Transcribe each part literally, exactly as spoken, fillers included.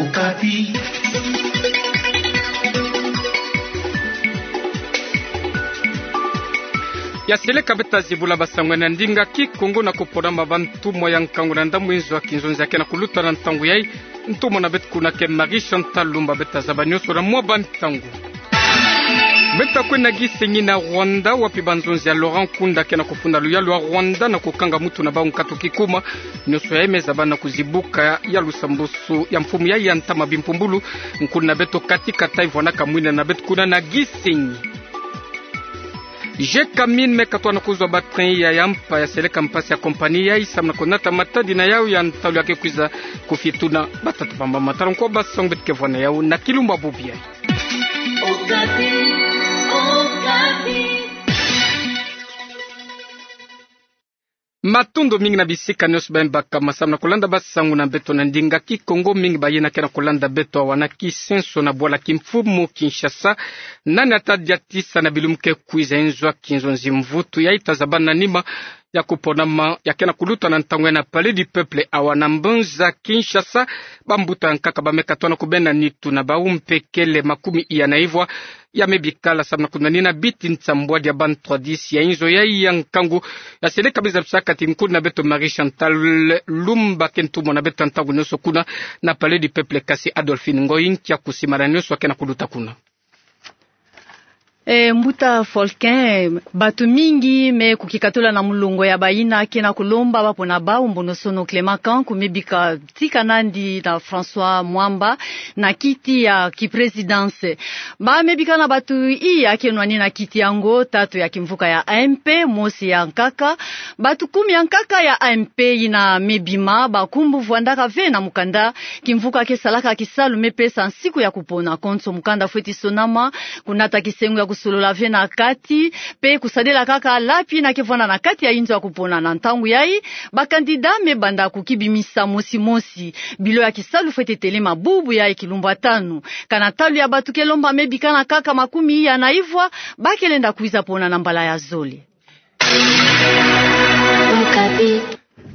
Okapi. Ya seleka beto ta zibula basango ya ndinga Kikongo na kupona ma bantumwa ya nkangu na ndambu nzo ya kinzonzi ya ke na kuluta na ntangu yai. Ntumwa na beto kuna ke Marie Chantal Lumba. Beto ta zaba nioso na mwa bantangu. Beto ta kwenda gisengi na Rwanda, wapi banzonzi ya Laurent Nkunda ke na kufunda luyalu ya Rwanda na kukanga mutu na bau nkatu kikuma. Nioso yai me zaba na kuzibuka ya lusambusu ya mfumu yai ya ntama bimpumbulu. Nkuna na beto Cathy Katayi vwandaka mwina na beto kuna na gisengi. G K Mines me katoa na kuzwa ba train ya, ya mpa ya seleka mpasi ya compagnie yai samu na kunata matadi na yau ya ntalu ya ke kwiza kufituna batata pamba matala nko basango beto ke vwa na yau na kilumbu bubu yai. Okapi, Okapi. Matondo mingi na bisika nioso ba imbaka masamu na kulanda basango na beto na ndinga Kikongo. Mingi bayina ke na kulanda beto awa na Kisenso na bwala kimfumu Kinshasa. Nani ata diatisa na bilumbu ke kwiza nzo ya kinzonzi mvutu yai ta zaba na nima ya kuponama ya ke na kuluta na ntangu yai na Palais du Peuple awa na mbanza Kinshasa. Bambuta ya nkaka ba me katoa na kubenda nitu na bau mpe kele makumi iya na ivwa ya me bikala samu na kunanina biti nsambwadi ya ba ntwadisi ya inzo yai ya nkangu. Ya seleka me zabisaka ti nkuna na beto Marie Chantal Lumba ke ntumwa na beto ntangu nioso kuna na Palais du Peuple, kasi Adolphine Ngoyi nkia kusimbana nioso ya ke na kuluta kuna. E, mbuta Faulkun, batu mingi me kukikatula na mulongo ya bayina ke na kulomba bapona bau mbonosono Clément Kanku me bika tika nandi na François Mwamba na kiti ya ki présidence. Ba me bika na batu iya ke nwani na kiti yango, tatu ya kimvuka ya A M P, mosi ya nkaka. Batu kumi ya nkaka ya A M P yina me bima, bankumbu vwandaka ve na mukanda. Kimvuka ke salaka kisalu me pesa nsiku ya kupona konso mukanda fweti sonama, kunata kisengo ya kusolola ve na kati, mpe kusadila kaka lapi yina ke vwanda na kati ya inzo ya kupona. Na ntangu yai, ba candidat me banda kukibimisa mosi mosi. Bilo ya kisalu fweti telema bubu yai kilumbu ya tanu. Kana ntalu ya batu ke lomba me bika na nkaka makumi iya na ivwa, ba ke lenda kwiza pona na mbala ya zole.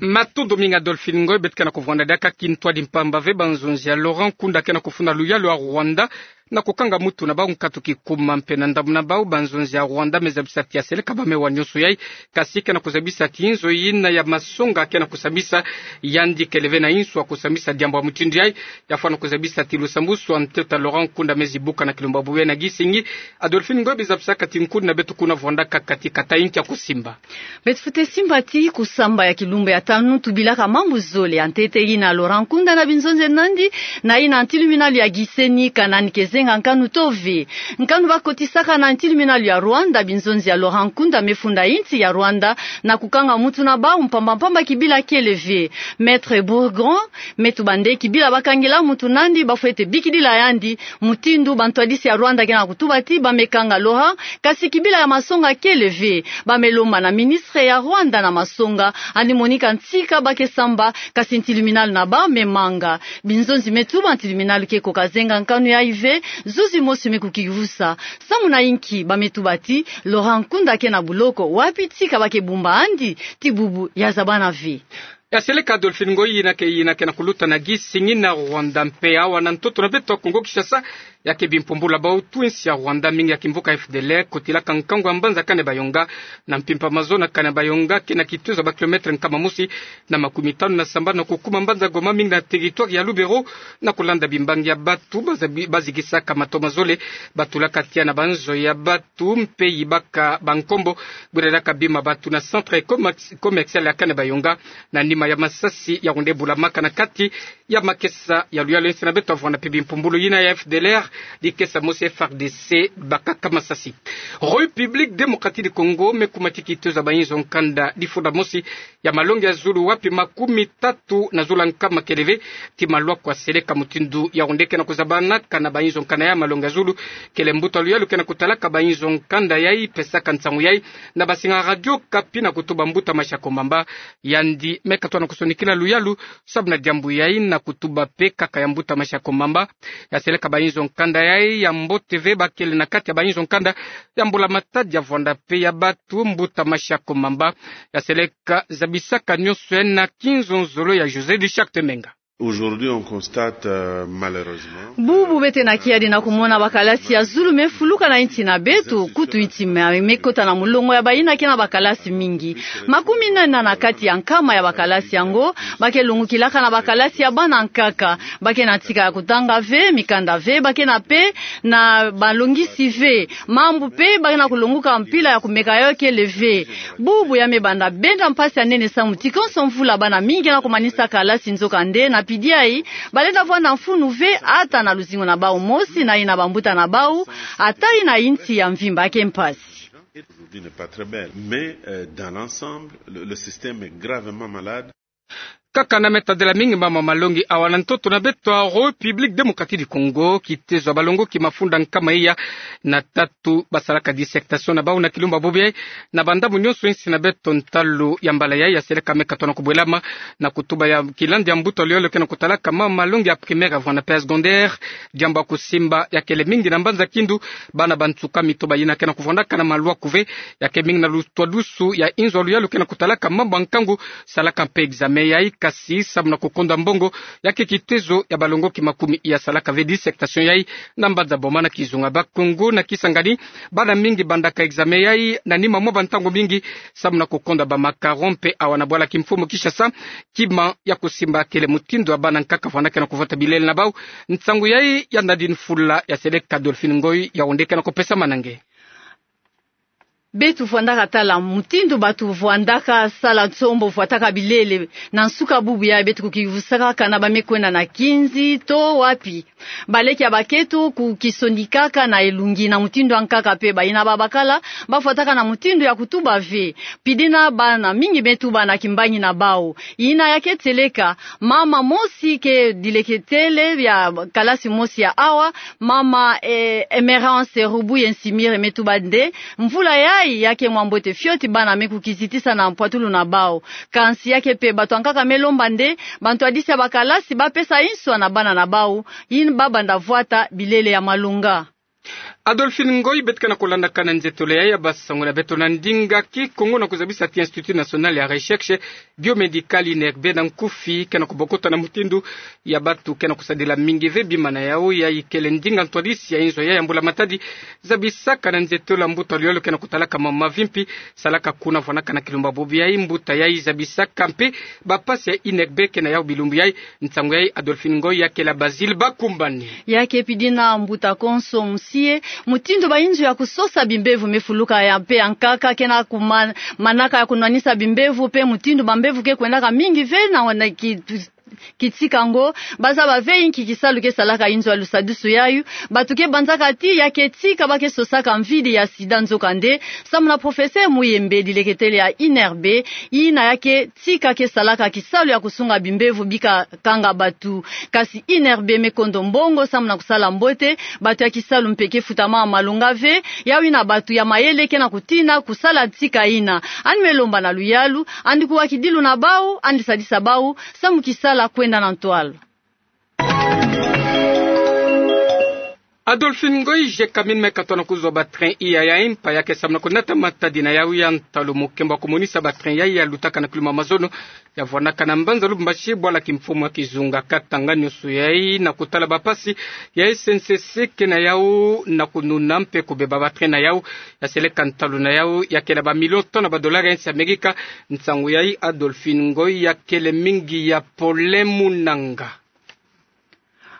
Matondo mingi Adolphine Ngoyi. Beto ke na kuvwanda diaka kintwadi mpamba ve banzonzi ya Laurent Nkunda ke na kufunda luyalu ya Rwanda na kukanga mutu na bau nkatu kikuma mpe na ndambu na bau. Banzonzi ya Rwanda me zabisa ti ya seleka ba me wa nioso yai, kasi ke na kuzabisa ti inzo yina ya masonga ke na kusambisa yandi kele ve na insu ya kusambisa diambu ya mutindu yai. Ya fwa na kuzabisa ti lusambusu ya ntoto ya Laurent Nkunda me zibuka na kilumbu bubu yai na gisengi. Adolphine Ngoyi, bi zabisaka ti nkuna na beto kuna vwandaka Cathy Katayi nkia kusimba. Beto fwete simba ti kusamba ya kilumbu ya tanu tubilaka mambu zole ya ntete yina Laurent Nkunda na binzonzi nandi, na yina ntiluminalu ya gisengi kana ni ke zenga nkanu to ve. Nkanu ba kotisaka na ntiluminalu ya Rwanda, binzonzi ya Laurent Nkunda me funda insi ya Rwanda na kukanga mutu na bau mpamba mpamba kibila kele ve. Maître Bourgon me tuba nde kibila ba kangila mutu nandi ba fwete bikidila yandi, mutindu bantwadisi ya Rwanda ke na kutuba ti ba me kanga Laurent, kasi kibila ya masonga kele ve. Ba me lomba na ministre ya Rwanda na masonga, yandi monika ntika ba ke samba, kasi ntiluminalu na bau me manga. Binzonzi me tuba ntiluminalu ke koka zenga nkanu yai ve, zuzi mosi me kukivusa. Samu na inki? Ba me tuba ti Laurent Nkunda ke na buloko, wapi ntika ba ke bumba yandi ti bubu? Ya zabana ve. Ya seleka Adolphine Ngoyi, yina ke, yina ke na kuluta na gisengi na Rwanda. Mpe awa na ntoto na beto Kongo Kinshasa, ya ke bimpumbulu ya bau twinsi ya Rwanda, mingi ya kimvuka F D L R, kotilaka nkangu ya mbanza Kanyabayonga. Na mpimpa mazono Kanyabayonga, ke na kituza ba kilomètre nkama mosi na makumi tanu na sambanu na kukuma mbanza Goma, mingi na territoire ya Lubero, na kulanda bimbangi ya batu, baza-, bazigisaka mato mazole, batulaka tiya na banzo ya batu, mpe yibaka bankombo, bwirelaka bima batu na centre commerci-, commercial ya Kanyabayonga, na nima ya masasi ya wende bulamaka na kati ya makesa ya luyalu ya insi na beto. Avwanda mpe bimpumbulu yina ya F D L R, dikesa mosi F A R D C bakaka masasi. République Démocratique du Congo me kuma ti kituza bainzo nkanda difunda mosi ya malongi ya zulu, wapi makumi tatu na zulu ya nkama kele ve ti malwaku ya seleka mutindu ya wende ke na kuzabanaka na bainzo nkanda ya malongi ya zulu. Kele mbuta luyalu ke na kutalaka bainzo nkanda yai pesaka nsangu yai na basinga Radio Okapi na kutuba mbuta Mashako Mamba. Yandi me katoa na kusonikila luyalu sabu na diambu yai na kutuba mpe kaka ya mbuta Mashako Mamba. Ya seleka bainzo nkanda yai ya mbote ve, bakele na kati ya bainzo nkanda ya mbula matadi ya vwanda mpe ya batu. Mbuta Mashako Mamba ya seleka zabisaka nionso yai na kinzonzolo ya José de Charte Menga. Aujourd'hui, on constate, euh, malheureusement, bubu beto na kiadi na kumona bakalasi ya zulu me fuluka na insi na beto, kutu insi me, me kota na mulongo ya bayina ke na bakalasi mingi. Makumi nana na kati ya nkama ya bakalasi yango, ba ke longokilaka na bakalasi ya bana nkaka, ba ke na tika ya kutanga ve, mikanda ve, ba ke na pe na balongisi ve, mambu pe ba ke na kulongoka mpila ya kumeka yo kele ve. Bubu ya me banda benda mpasi ya nene samu ti konso mvula bana mingi na kumanisa kalasi, nzokande na pidi yayi, ba lenda vwanda mfunu ve ata na luzingu na bau mosi na yina bambuta na bau, ata yina insi ya mvimba ke mpasi. Aujourd'hui n'est pas très belle, mais, euh, dans l'ensemble, le, le système est gravement malade. Kaka na me tadila mingi mama malongi awa na ntoto na beto, République Démocratique du Congo, kitezo ya balongoki mafunda nkama iya na tatu basalaka dissertation na bau na kilumba bobo yayi na bandambu nyonso insi na beto. Ntalu ya mbala yayi ya seleka me katwa na kubwelama na kutuba ya kilandi ya mbuta luyolo ke na kutalaka mama malongi ya primaire ya vwanda pe ya secondaire. Diambu ya kusimba ya kele mingi na mbanza Kindu, bana bansuka mito bayina ke na kuvwandaka na malwaku ve, ya ke mingi na lutwadusu ya inzo ya luyalu ke na kutalaka mambu ya nkangu, salaka mpe examen yayi, kasi samu na kukonda mbongo, ya ke kitezo ya balongoki makumi iya salaka ve dissertation yayi na mbanza Boma na Kizunga. Bakongo na Kisangani, bana mingi bandaka examen yayi na nima mwa bantangu mingi samu na kukonda ba macarons mpe awa na bwala kimfumu Kinshasa, kima ya kusimba kele mutindu ya bana nkaka vwanda ke na kuvwata bilele na bau. Nsangu yayi ya Nadine Fula, ya seleka Adolphine Ngoyi, ya onde ke na kupesa manange. Beto vwandaka tala mutindu batu vwandaka sala nsombo, vwataka bilele. Na nsuka bubu yayi beto kukivusaka kana ba me kwenda na kinzi to wapi. Baleke ya bakento kukisondikaka na elungi na mutindu ya nkaka, mpe bayina babakala ba vwataka na mutindu ya kutuba ve. Pidi na bana mingi me tuba na kimbangi na bau. Yina ya ke seleka, mama mosi ke dileketele ya kalasi mosi ya awa, mama, eh, Emerance Rubuye Nsimire me tuba nde, mvula yayi ya ke mwa mbote fioti, bana me kukizitisa na mpwatulu na bau. Kansi ya ke mpe batu ya nkaka me lomba nde bantwadisi ya bakalasi ba pesa inswa na bana na bau, yina ba banda vwata bilele ya malonga. Adolphine Ngoyi, beto ke na kulandaka na nzietolo yayi ya basangu na beto na ndinga Kikongo, na kuzabisa ti Institut National ya Recherche Biomédicale, INRB, na nkufi, ke na kubokota na mutindu ya batu ke na kusadila mingi ve bima na yau. Yayi kele ndinga ntwadisi ya inzo yayi ya mbula matadi zabisaka na nzietolo ya mbuta luyolo ke na kutalaka mama mavimpi, salaka kuna vwanaka na kilumba bobo yayi. Mbuta yayi zabisaka mpe bampasi ya INRB ke na yau bilumbu yayi. Nsangu yayi Adolphine Ngoyi ya kela Basile Bakumbani. Ya ke pidi na mbuta konso musie, mutindu ba inzo ya kusosa bimbevo me fuluka ya mpe ya nkaka ke na kuma-, manaka ya kunwanisa bimbevo, mpe mutindu bambevo ke kwendaka mingi ve na wana ki-, kitika ngo, ba zaba ve inki kisalu ke salaka inzo ya lusadusu yayu. Batu ke banzaka ti ya ke tika ba ke sosaka mvidi ya sida, nzokande, samu na professeur Muyembe, dileketele ya INRB, yina ya ke tika ke salaka kisalu ya kusunga bimbevo bika kanga batu. Kasi INRB me kondo mbongo samu na kusala mbote, batu ya kisalu mpe ke futama malonga ve, yau yina batu ya mayele ke na kutina kusala tika yina. Yandi me lomba na luyalu, yandi kuwa kidilu na bau, yandi sadisa bau, samu kisala kwenda na ntwala. Adolphine Ngoyi, Gécamines me katwa na kuzwa ba train iya ya impa ya ke samu na kunata matadi na yau ya ntalu. Mukembo wa kumonisa ba train yayi ya lutaka na kilumbu ya mazono, ya vwanaka na mbanza Lubumbashi, bwala kimfumu ya Kizunga, Katanga, nyonso yayi na kutala bampasi ya SNCC ke na yau na kununa mpe kubeba ba train na yau. Ya seleka ntalu na yau ya kela ba millions tona ba dollars ya insi ya Amerika. Nsangu yayi Adolphine Ngoyi ya kele mingi ya Paulin Munanga.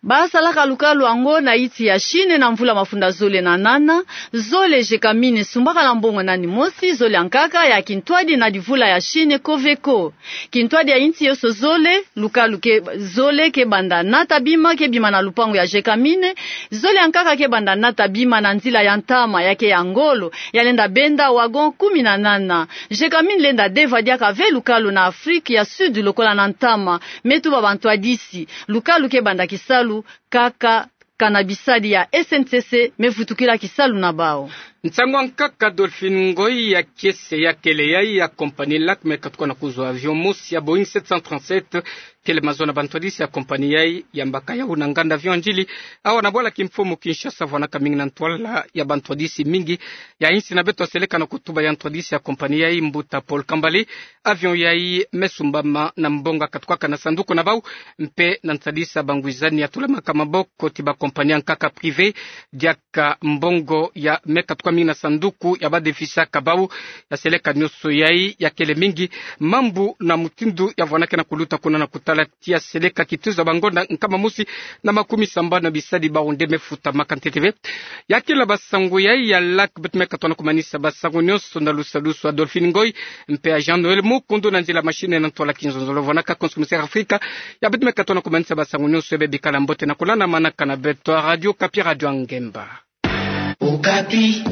Ba salaka lukalu yango na insi ya Chine na mvula mafunda zole na nana. Zole, Gécamines sumbaka na mbongo nani mosi, zole ya nkaka ya kintwadi na divula ya Chine, Coveco. Kintwadi ya insi yoso zole, lukalu ke zole ke banda nata bima, ke bima na lupangu ya Gécamines. Zole ya nkaka ke banda nata bima na nzila ya ntama, ya ke ya ngolo, ya lenda benda wagon kumi na nana. Gécamines lenda deva diaka ve lukalu na Afrique ya Sud lokola na ntama, me tuba bantwadisi. Lukalu ke banda kisalu kaka kana bisadi ya SNCC me vutukila kisalu na bau. Nsangu ankaka Dolphine Ngoy, ya kiese ya kele yayi ya compagnie Lac me katukwana kuzwa avion mosi ya Boeing sept cent trente-sept, kele mazono na bantwadisi ya compagnie yayi ya mbaka yawu na nganda avion Ndjili, awa na bwala kimfumu Kinshasa, vwanaka mingi na ntwala ya bantwadisi mingi ya insi na beto. Aseleka na kutuba ya ntwadisi ya compagnie yayi, mbuta Paul Kambale, avion yayi me sumbama na mbongo katukwaka na sanduku na bau, mpe na nsadisa bangwizani ya tulamaka maboko ti ba compagnie ankaka privé, diaka mbongo ya me katukwa mingi na sanduku ya badefisaka bau. Ya seleka nionso yayi ya kele mingi mambu na mutindu ya vwanakena kuluta kuna na kutala tia seleka kituza bangonda nkama mosi na makumi sambanu na bisadi bau nde me futamaka ntete ve. Ya kila basango yayi ya Lac, beto me katwana kumanisa basango nionso na lusalusu ya Dolphine Ngoy mpe ya Jean Noël Mukundu na nzila machine na ntwala kinzonzolo. Vwanaka konso komisaire Afrika, ya beto me katwana kumanisa basango nionso, ya be bikala mbote na kulana manaka na beto ya Radio Okapi, Radio ya Ngemba. Okapi.